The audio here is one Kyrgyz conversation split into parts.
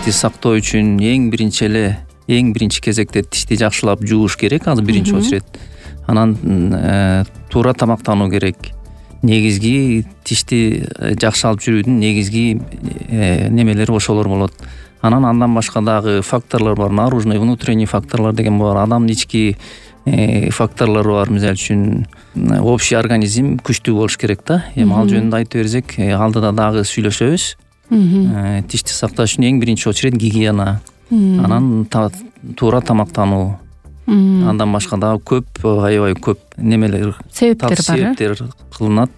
Тишти сактоо үчүн эң биринчи кезекте тишти жакшылап жууш керек, азыр биринчи очередь. Анан туура тамактануу керек. Негизги тишти жакшы алып жүрүүдүн негизги немелери ошолор болот. Андан башка дагы факторлор бар. Наружный, внутренний факторлор деген бар. Адамдын ички факторлору бар. Мисалы үчүн общий организм күчтүү болуш керек да. Эми ал жөнүндө айтып берсек, алдыда дагы сүйлөшөбүз. Тишти сакташ үчүн эң биринчи очередь гигиена. Анан туура тамактануу. Андан башка дагы аябай көп немелер, себептер кылынат.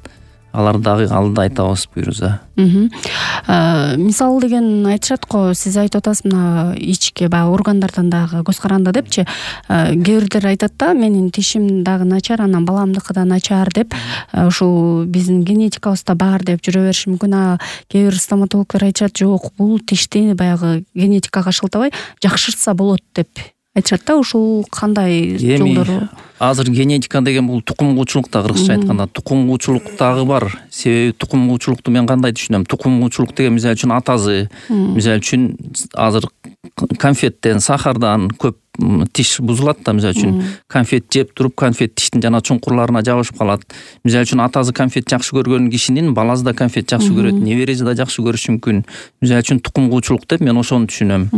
Аларды дагы алдыда айтабыз буюрса. Мисал деген айтышат го, сиз айтып атасыз, мына ички баягы органдардан дагы көз каранды депчи. Кээ бирлер айтат да, менин тишим дагы начар, анан баламдыкы да начар деп, ушул биздин генетикабызда бар деп жүрө бериши мүмкүн. Кээ бир стоматологдор айтышат, жок, бул тишти баягы генетикага шылтабай жакшыртса болот деп айтышат да. Ушул кандай жолдору? Азыр генетика деген бул тукумгуучулук да, кыргызча айтканда тукумгуучулук дагы бар. Себеби тукумгуучулукту мен кандай түшүнөм? Тукумгуучулук деген мисалы үчүн атасы, мисалы үчүн азыр конфеттен, сахардан көп тиш бузулат да. Мисалы үчүн конфет жеп туруп, конфет тиштин жана чуңкурларына жабышып калат. Мисалы үчүн атасы конфет жакшы көргөн кишинин баласы да конфет жакшы көрөт, небереси да жакшы көрүшү мүмкүн. Мисалы үчүн тукумгуучулук деп мен ошону түшүнөм.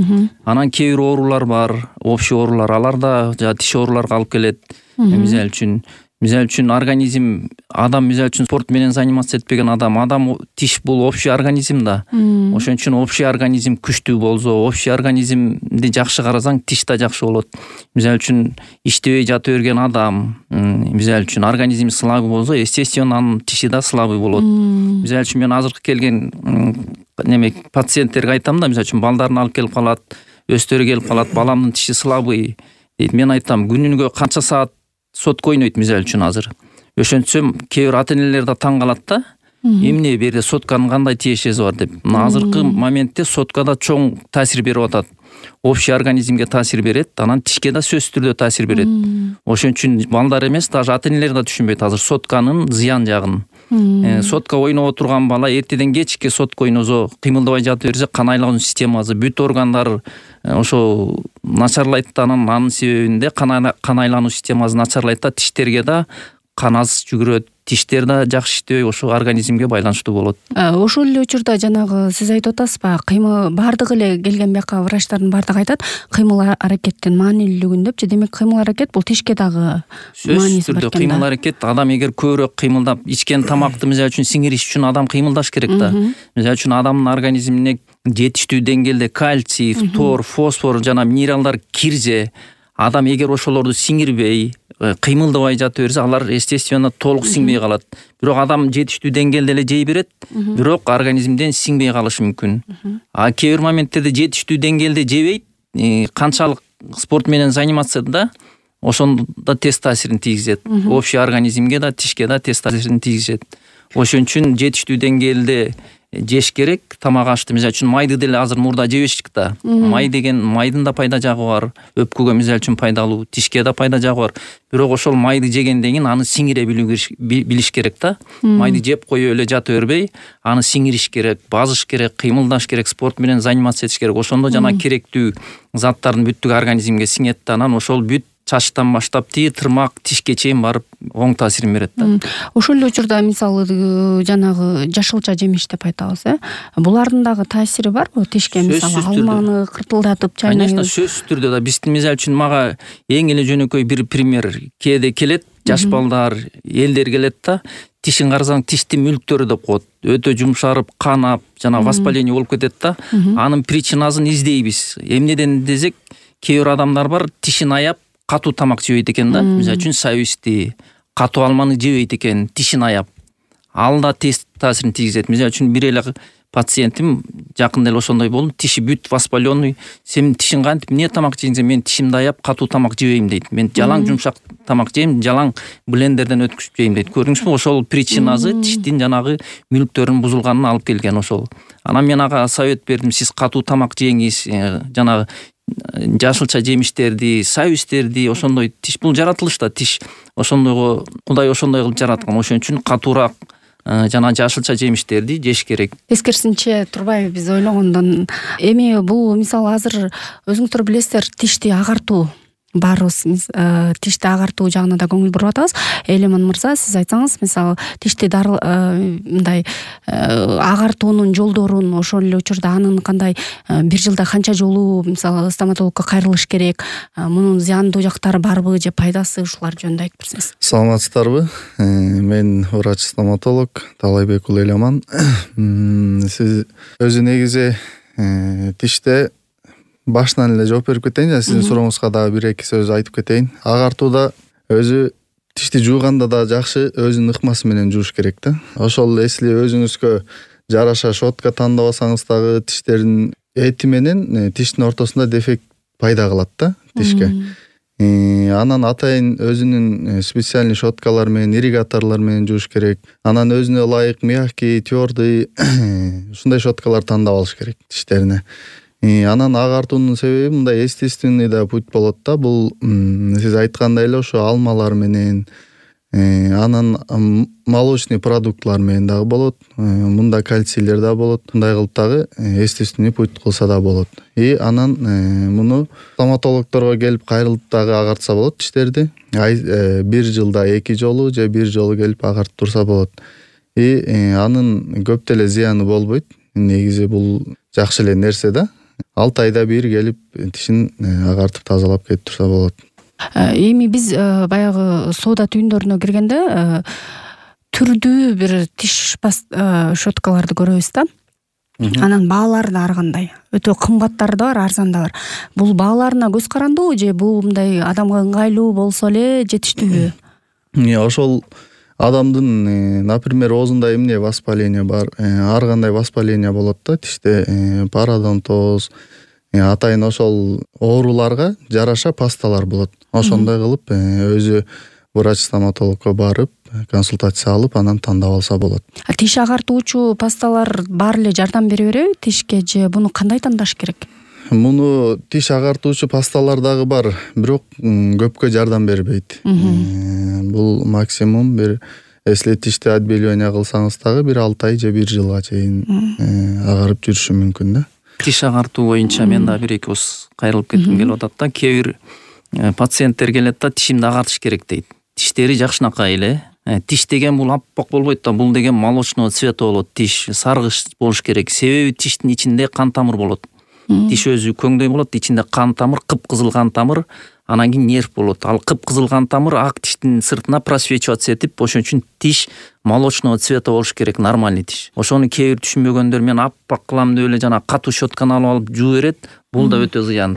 Анан кээ бир оорулар бар, общий оорулар, алар да тиш ооруларга алып келет. Мисалы үчүн организм, адам мисалы үчүн спорт менен заниматься этпеген адам тиш бул общий организм да. Ошон үчүн общий организм күчтүү болсо, общий организмди жакшы карасаң, тиш да жакшы болот. Мисалы үчүн иштебей жата берген адам, мисалы үчүн организм слабый болсо, естественно анын тиши да слабый болот. Мисалы үчүн мен азыркы келген пациенттерге айтам да, мисалы үчүн балдарын алып келип калат, өстөрү келип калат, баламдын тиши слабый дейт. Мен айтам, күнүгө канча саат сотка ойнойт мисалы үчүн азыр. Ошентсем, кээ бир ата-энелер да таң калат да. Эмне берде сотканын кандай тиешеси бар деп. Азыркы моментте соткада чоң таасир берип атат. Общий организмге таасир берет, анан тишке да сөзсүз түрдө таасир берет. Ошон үчүн балдар эмес, даже ата-энелер да түшүнбөйт азыр сотканын зыян жагын. Сотка ойноп отурган бала эртеден кечке сотка ойносо, кыймылдабай жатып берсе, кан айлануу системасы, бүт органдар ошо начарлайт да. Анын себебинде кан айлануу системасы начарлайт да, тиштерге да кан аз жүгүрөт, тиштер да жакшы иштебей, ошо организмге байланыштуу болот. Ошол эле учурда жанагы сиз айтып атасызбы, кыймыл бардыгы эле келген бияка врачтардын бардыгы айтат, кыймыл аракеттин маанилүүлүгүн депчи. Демек кыймыл аракет бул тишке дагы мааниси бар экен. Кыймыл аракет, адам эгер көбүрөөк кыймылдап, ичкен тамакты мисалы үчүн сиңириш үчүн адам кыймылдаш керек да. Мисалы үчүн адамдын организмине жетиштүү деңгээлде кальций, фтор, фосфор жана минералдар кирсе, адам эгер ошолорду сиңирбей, кыймылдабай жатып берсе, алар естественно толук сиңбей калат. Бирок адам жетиштүү деңгээлде эле жей берет, бирок организмден сиңбей калышы мүмкүн. Кээ бир моменттерде жетиштүү деңгээлде жебейт, канчалык спорт менен заниматься да, ошондо тез таасирин тийгизет. Общий организмге да, тишке да тез таасирин тийгизет. Ошон үчүн жетиштүү деңгээлде жеш керек. Тамак ашты мисалы үчүн майды деле азыр мурда жебешик да. Май деген, майдын да пайда жагы бар. Өпкөгө мисалы үчүн пайдалуу, тишке да пайда жагы бар. Бирок ошол майды жегенден кийин аны сиңире билиш керек да. Майды жеп коюп эле жата бербей, аны сиңириш керек, базыш керек, кыймылдаш керек, спорт менен заниматься этиш керек. Ошондо жана керектүү заттардын бүттүгү организмге сиңет да, анан ошол бүт чачтан баштап тырмак, тишке чейин барып оң таасирин берет да. Ошол эле учурда мисалы жанагы жашылча жемиш деп айтабыз, булардын дагы таасири барбы тишке? Мисалы алманы кыртылдатып чайнайбыз. Конечно, сөзсүз түрдө да. Биздин мисалы үчүн мага эң эле жөнөкөй бир пример. Кээде келет, жаш балдар, элдер келет да, тишин карасаң, тиштин мүлктөрү деп коет. Өтө жумшарып, канап, жана воспаление болуп кетет да. Анын причинасын издейбиз. Эмнеден десек, кээ бир адамдар бар, тишин аяп катуу тамак жебейт экен да. Мисалы үчүн соусти, катуу алманы жебейт экен, тишин аяп. Ал да тез таасирин тийгизет. Мисалы үчүн бир эле пациентим жакында эле ошондой болду. Тиши бүт воспаленный. Сен тишин кантип эмне тамак жейсиң? Мен тишимди аяп катуу тамак жебейм дейт. Мен жалаң жумшак тамак жейм, жалаң блендерден өткүзүп жейм дейт. Көрдүңүзбү? Ошол причинасы тиштин жанагы мүлктөрүнүн бузулганына алып келген ошол. Анан мен ага совет бердим. Сиз катуу тамак жеңиз, жанагы жашылча жемиштерди, соустерди, ошондой тиш бул жаратылышта тиш ошондойго Кудай ошондой кылып жараткан. Ошон үчүн катуураак жана жашылча жемиштерди жеш керек. Тескерисинче турбайбы биз ойлогондон. Эми бул мисалы азыр өзүңүздөр билесиздер, тишти агартуу баарыбыз тишти агартуу жагына да көңүл буруп атабыз. Элеман мырза, сиз айтсаңыз, мисалы тишти мындай агартуунун жолдорун, ошол эле учурда анын кандай бир жылда канча жолу мисалы стоматологко кайрылыш керек, мунун зыяндуу жактары барбы же пайдасы, ушулар жөнүндө айтып берсеңиз. Саламатсыздарбы? Мен врач-стоматолог Талайбек уулу Элеман. Сиз өзү негизи тиште башынан эле жооп берип кетейин жана сиздин сурооңузга дагы бир эки сөз айтып кетейин. Агартууда өзү тишти жууганда да жакшы өзүнүн ыкмасы менен жууш керек да. Ошол эсли өзүңүзгө жараша щотка тандабасаңыз дагы тиштердин эти менен тиштин ортосунда дефект пайда кылат да тишке. Анан атайын өзүнүн специальный щоткалар менен, ирригаторлор менен жууш керек. Анан өзүнө ылайык мягкий, твердый ушундай щоткалар тандап алыш керек тиштерине. Анан агартуунун себеби мындай естественный да путь болот да. Бул сиз айткандай эле ошо алмалар менен, анан молочный продуктлар менен дагы болот. Мында кальцийлер да болот. Мындай кылып дагы естественный путь кылса да болот. Анан муну стоматологдорго келип кайрылып дагы агартса болот тиштерди. Бир жылда 2 жолу же бир жолу келип агартып турса болот. Анын көп деле зыяны болбойт. Негизи бул жакшы эле нерсе да. 6 айда бир келип тишин агартып тазалап кетип турса болот. Эми биз баягы соода түйүндөрүнө киргенде түрдүү бир тиш щоткаларды көрөбүз да. Анан баалары да ар кандай. Өтө кымбаттары да бар, арзан да бар. Бул бааларына көз карандыбы же бул мындай адамга ыңгайлуу болсо эле жетиштүүбү? Ошол адамдын, например, оозунда эмне воспаление бар, ар кандай воспаление болот да тиште, пародонтоз, атайын ошол ооруларга жараша пасталар болот. Ошондой кылып өзү врач-стоматологко барып консультация алып, анан тандап алса болот. Тиш агартуучу пасталар баары эле жардам бере береби тишке же буну кандай тандаш керек? Муну тиш агартуучу пасталар дагы бар, бирок көпкө жардам бербейт. Бул максимум бир, если тишти отбеливание кылсаңыз дагы бир 6 ай же бир жылга чейин агарып жүрүшү мүмкүн да. Тиш агартуу боюнча мен да бир эки ооз кайрылып кетким келип атат да. Кээ бир пациенттер келет да, тишимди агартыш керек дейт. Тиштери жакшынакай эле. Тиш деген бул аппак болбойт да, бул деген молочного цвета болот. Тиш саргыч болуш керек. Себеби тиштин ичинде кан тамыр болот. Тиш өзү көңдөй болот, ичинде кан тамыр, кыпкызыл кан тамыр, анан кийин нерв болот. Ал кыпкызыл кан тамыр ак тиштин сыртына просвечиваться этип, ошон үчүн тиш молочного цвета болуш керек, нормальный тиш. Ошону кээ бир түшүнбөгөндөр мен аппак кылам деп эле жана катуу щотканы алып жуу берет. Бул да өтө зыян.